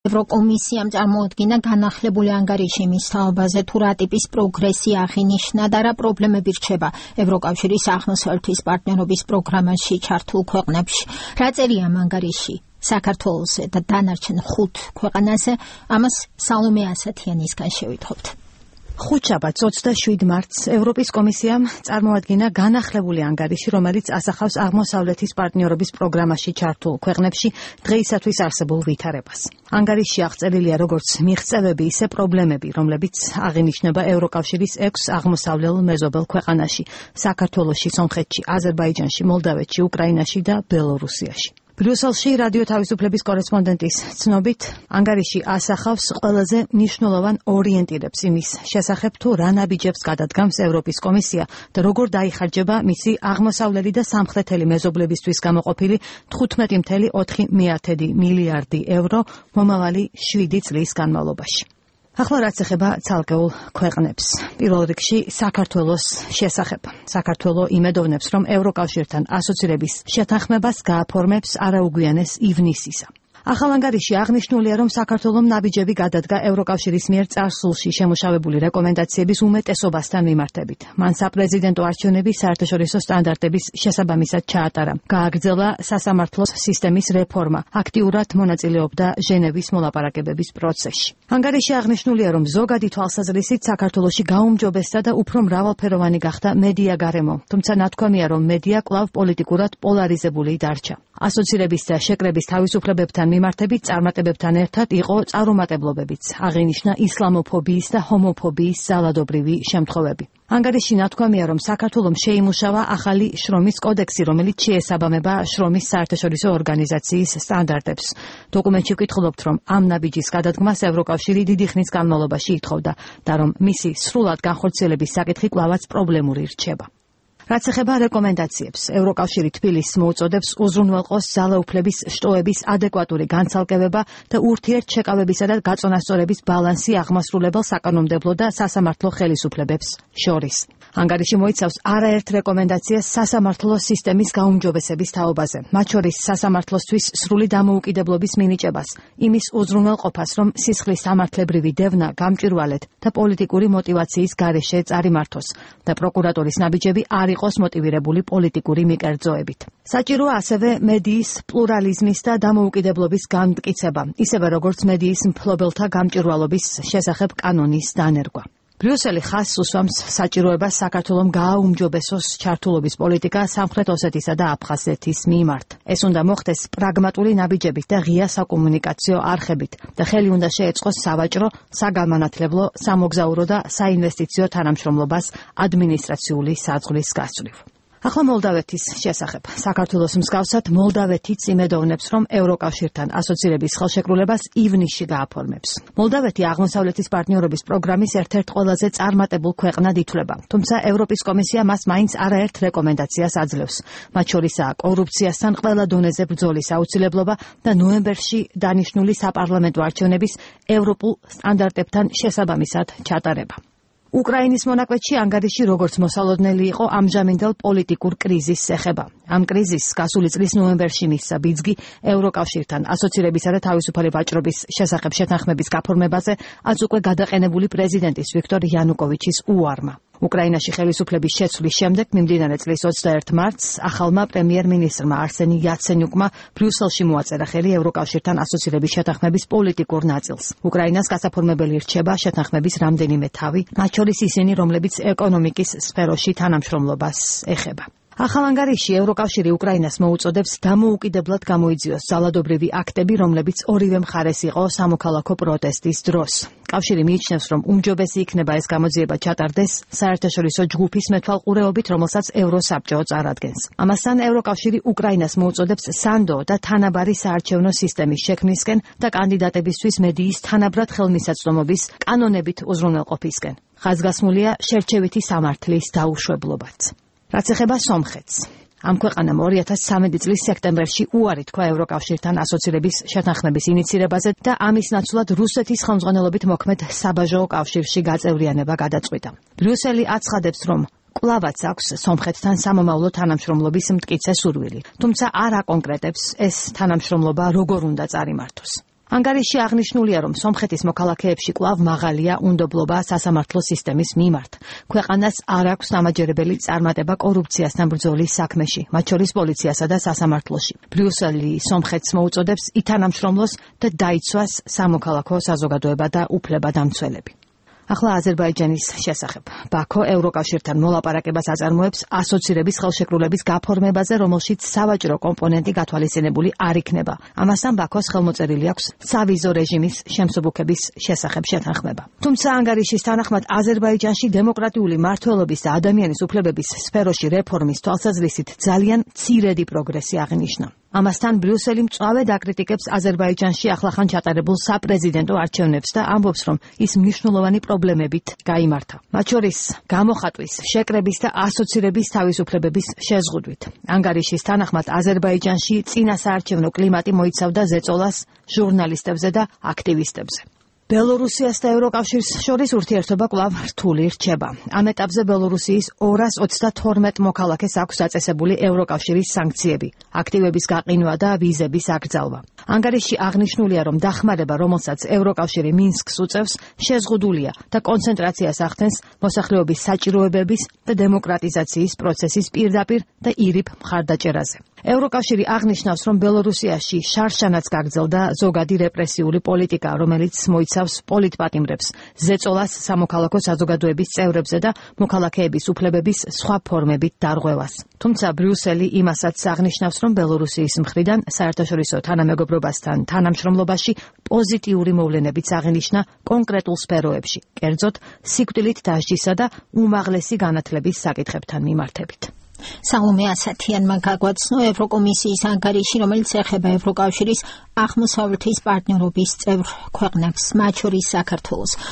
ევროკომისიამ წარმოადგინა განახლებული ანგარიში მის თაობაზე თუ რა ტიპის პროგრესი აღინიშნა და რა პრობლემები რჩება ევროკავშირის აღმოსავლეთის პარტნიორობის პროგრამაში ჩართულ ქვეყნებში. რა წერია ამ ანგარიში საქართველოსზე და დანარჩენ 5 ქვეყანაზე, ამას სალომე ასათიანისგან შევითხობთ. ხუთშაბათს 27 მარტს ევროპის კომისიამ წარმოადგინა განახლებული ანგარიში, რომელიც ასახავს აღმოსავლეთის პარტნიორობის პროგრამაში ჩართულ ქვეყნებში დღეისათვის არსებულ ვითარებას. ანგარიშში აღწერილია როგორც მიღწევები, ისე პრობლემები, რომლებიც აღინიშნება ევროკავშირის 6 აღმოსავლელ მეზობელ ქვეყანაში: საქართველოში, სომხეთში, აზერბაიჯანში, მოლდავეთში, უკრაინაში და ბელორუსიაში. ბრიუსელში რადიო თავისუფლების კორესპონდენტის ცნობით, ანგარიში ასახავს ყველაზე მნიშვნელოვან ორიენტირებს იმის შესახებ, თუ რა ნაბიჯებს გადადგამს ევროპის კომისია და როგორ დაიხარჯება მისი აღმოსავლელი და სამხრეთელი მეზობლებისთვის გამოყოფილი 15.4 მილიარდი ევრო მომავალი 7 წლის განმავლობაში. ახლა რაც ეხება ცალკეულ ქვეყნებს. პირველ რიგში საქართველოს შესახებ. საქართველო იმედოვნებს, რომ ევროკავშირთან ასოცირების შეთანხმებას გააფორმებს არაუგვიანეს ივნისისა. ახალ ანგარიში აღნიშნულია, რომ საქართველომ ნაბიჯები გადადგა ევროკავშირის მიერ წარსულში შემუშავებული რეკომენდაციების უმეტესობასთან მიმართებით. მან საპრეზიდენტო არჩევნების საერთაშორისო სტანდარტების შესაბამისად ჩაატარა. გააგრძელა სასამართლოს სისტემის რეფორმა. აქტიურად მონაწილეობდა ჟენევის მოლაპარაკებების პროცესში. ანგარიში აღნიშნულია, რომ ზოგადი თვალსაზრისით საქართველოში გაუმჯობესდა და უფრო მრავალფეროვანი გახდა მედია გარემო, თუმცა ნათქვამია, რომ მედია კვლავ პოლიტიკურად პოლარიზებული დარჩა. ასოცირების და შეკრების თავისუფლებებთან მიმართებით წარმატებებთან ერთად იყო წარუმატებლობებიც. აღინიშნა ისლამოფობიის და ჰომოფობიის ძალადობრივი შემთხვევები. ანგარიში ნათქვამია, რომ საქართველომ შეიმუშავა ახალი შრომის კოდექსი, რომელიც შეესაბამება შრომის საერთაშორისო ორგანიზაციის სტანდარტებს. დოკუმენტში ვკითხულობთ, რომ ამ ნაბიჯის გადადგმას ევროკავშირი დიდი ხნის განმავლობაში ითხოვდა და რომ მისი სრულად განხორციელების საკითხი კვლავაც პრობლემური რჩება. რაც ეხება რეკომენდაციებს, ევროკავშირი თბილისს მოუწოდებს უზრუნველყოს ძალაუფლების შტოების ადეკვატური განცალკევება და ურთიერთშეკავებისა და გაწონასწორების ბალანსი აღმასრულებელ საკანონმდებლო და სასამართლო ხელისუფლებებს შორის. ანგარიში მოიცავს არაერთ რეკომენდაციას სასამართლო სისტემის გაუმჯობესების თაობაზე, მათ შორის სასამართლოსთვის სრული დამოუკიდებლობის მინიჭებას, იმის უზრუნველყოფას, რომ სისხლის სამართლებრივი დევნა გამჭვირვალედ და პოლიტიკური მოტივაციის გარეშე წარიმართოს და პროკურატურის ნაბიჯები არ იყოს მოტივირებული პოლიტიკური მიკერძოებით. საჭიროა ასევე მედიის პლურალიზმის და დამოუკიდებლობის განმტკიცება, ისევე როგორც მედიის მფლობელთა გამჭვირვალობის შესახებ კანონის დანერგვა. ბრიუსელი ხაზს უსვამს საჭიროებას საქართველომ გააუმჯობესოს ჩართულობის პოლიტიკა სამხრეთ ოსეთისა და აფხაზეთის მიმართ. ეს უნდა მოხდეს პრაგმატული ნაბიჯებით და ღია საკომუნიკაციო არხებით და ხელი უნდა შეეწყოს სავაჭრო, საგამანათლებლო, სამოგზაურო და საინვესტიციო თანამშრომლობას ადმინისტრაციული საზღვრის გასწვრივ. ახლა მოლდავეთის შესახებ. საქართველოს მსგავსად მოლდავეთიც იმედოვნებს, რომ ევროკავშირთან ასოცირების ხელშეკრულებას ივნისში გააფორმებს. მოლდავეთი აღმოსავლეთის პარტნიორობის პროგრამის ერთ-ერთ ყველაზე წარმატებულ ქვეყნად ითვლება, თუმცა ევროპის კომისია მას მაინც არაერთ რეკომენდაციას აძლევს. მათ შორისაა კორუფციასთან ყველა დონეზე ბრძოლის აუცილებლობა და ნოემბერში დანიშნული საპარლამენტო არჩევნების ევროპულ სტანდარტებთან შესაბამისად ჩატარება. უკრაინის მონაკვეთში ანგარიში როგორც მოსალოდნელი იყო ამჟამინდელ პოლიტიკურ კრიზისს ეხება. ამ კრიზისს გასული წლის ნოემბერში მისცა ბიძგი ევროკავშირთან ასოცირებისა და თავისუფალი ვაჭრობის შესახებ შეთანხმების გაფორმებაზე აც უკვე გადაყენებული პრეზიდენტის ვიქტორ იანუკოვიჩის უარმა. უკრაინაში ხელისუფლების შეცვლის შემდეგ მიმდინარე წლის 21 მარტს ახალმა პრემიერ-მინისტრმა არსენი იაცენიუკმა ბრიუსელში მოაწერა ხელი ევროკავშირთან ასოცირების შეთანხმების პოლიტიკურ ნაწილს. უკრაინას გასაფორმებელი რჩება შეთანხმების რამდენიმე თავი, მათ შორის ისინი, რომლებიც ეკონომიკის სფეროში თანამშრომლობას ეხება. ახალ ანგარიში ევროკავშირი უკრაინას მოუწოდებს დამოუკიდებლად გამოიძიოს ძალადობრივი აქტები, რომლებიც ორივე მხარეს იყო სამოქალაქო პროტესტის დროს. კავშირი მიიჩნევს, რომ უმჯობესი იქნება ეს გამოძიება ჩატარდეს საერთაშორისო ჯგუფის მეთვალყურეობით, რომელსაც ევროსაბჭო წარადგენს. ამასთან ევროკავშირი უკრაინას მოუწოდებს სანდო და თანაბარი საარჩევნო სისტემის შექმნისკენ და კანდიდატებისთვის მედიის თანაბრად ხელმისაწვდომობის კანონებით უზრუნველყოფისკენ. ხაზგასმულია შერჩევითი სამართლის დაუშვებლობაც. რაც ეხება სომხეთს. ამ ქვეყანამ 2013 წლის სექტემბერში უარი თქვა ევროკავშირთან ასოცირების შეთანხმების ინიცირებაზე და ამის ნაცვლად რუსეთის ხელმძღვანელობით მოქმედ საბაჟო კავშირში გაწევრიანება გადაწყვიტა. ბრიუსელი აცხადებს, რომ კვლავაც აქვს სომხეთთან სამომავლო თანამშრომლობის მტკიცე სურვილი, თუმცა არ აკონკრეტებს ეს თანამშრომლობა როგორ უნდა წარიმართოს. ანგარიში აღნიშნულია, რომ სომხეთის მოქალაქეებში კვლავ მაღალია უნდობლობა სასამართლო სისტემის მიმართ. ქვეყანას არ აქვს დამაჯერებელი წარმატება კორუფციასთან ბრძოლის საქმეში, მათ შორის პოლიციასა და სასამართლოში. ბრიუსელი სომხეთს მოუწოდებს ითანამშრომლოს და დაიცვას სამოქალაქო საზოგადოება და უფლებადამცველები. ახლა აზერბაიჯანის შესახებ. ბაქო ევროკავშირთან მოლაპარაკებას აწარმოებს ასოცირების ხელშეკრულების გაფორმებაზე, რომელშიც სავაჭრო კომპონენტი გათვალისწინებული არ იქნება. ამასთან ბაქოს ხელმოწერილი აქვს სავიზო რეჟიმის შემსუბუქების შესახებ შეთანხმება. თუმცა ანგარიშის თანახმად აზერბაიჯანში დემოკრატიული მმართველობის და ადამიანის უფლებების სფეროში რეფორმის თვალსაზრისით ძალიან მცირედი პროგრესი აღინიშნა. ამასთან ბრიუსელი მწვავედ აკრიტიკებს აზერბაიჯანში ახლახან ჩატარებულ საპრეზიდენტო არჩევნებს და ამბობს, რომ ის მნიშვნელოვანი პრობლემებით გაიმართა. მათ შორის გამოხატვის, შეკრების და ასოცირების თავისუფლებების შეზღუდვით. ანგარიშის თანახმად აზერბაიჯანში წინა საარჩევნო კლიმატი მოიცავდა ზეწოლას ჟურნალისტებზე და აქტივისტებზე. ბელორუსიას და ევროკავშირს შორის ურთიერთობა კვლავ რთული რჩება. ამ ეტაპზე ბელორუსიის 232 მოქალაქეს აქვს დაწესებული ევროკავშირის სანქციები, აქტივების გაყინვა და ვიზების აკრძალვა. ანგარიში აღნიშნულია, რომ დახმარება, რომელსაც ევროკავშირი მინსკს უწევს, შეზღუდულია და კონცენტრაციას ახდენს მოსახლეობის საჭიროებების და დემოკრატიზაციის პროცესის პირდაპირ და ირიბ მხარდაჭერაზე. ევროკავშირი აღნიშნავს, რომ ბელორუსიაში შარშანაც გაგრძელდა ზოგადი რეპრესიული პოლიტიკა, რომელიც მოიცავს პოლიტპატიმრებს, ზეწოლას სამოქალაქო საზოგადოების წევრებზე და მოქალაქეების უფლებების სხვა ფორმებით დარღვევას. თუმცა ბრიუსელი იმასაც აღნიშნავს, რომ ბელორუსიის მხრიდან საერთაშორისო თანამეგობრობასთან თანამშრომლობაში პოზიტიური მოვლენებიც აღინიშნა კონკრეტულ სფეროებში, კერძოდ სიკვდილით დასჯისა და უმაღლესი განათლების საკითხებთან მიმართებით. სალომე ასათიანმა გაგვაცნო ევროკომისიის ანგარიში, რომელიც ეხება ევროკავშირის აღმოსავლეთის პარტნიორობის წევრ ქვეყნებს, მათ შორის საქართველოს.